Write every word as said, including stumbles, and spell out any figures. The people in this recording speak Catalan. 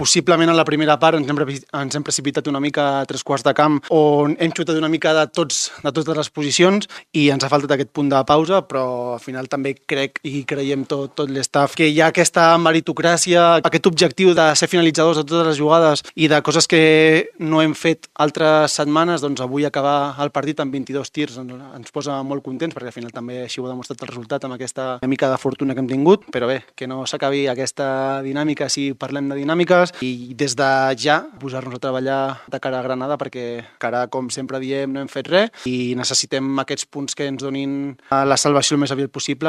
possiblement a la primera part ens hem, ens hem precipitat una mica a tres quarts de camp on hem xutat una mica de, tots, de totes les posicions i ens ha faltat aquest punt de pausa, però al final també crec i creiem tot, tot l'estaf que hi ha aquesta meritocràcia, aquest objectiu de ser finalitzadors de totes les jugades i de coses que no hem fet altres setmanes, doncs avui acabar el partit amb vint-i-dos tirs ens posa molt contents perquè al final també així ho ha demostrat el resultat amb aquesta mica de fortuna que hem tingut, però bé, que no s'acabi aquesta dinàmica si parlem de dinàmiques i des de ja posar-nos a treballar de cara a Granada perquè cara, com sempre diem, no hem fet res i necessitem aquests punts que ens donin la salvació el més aviat possible.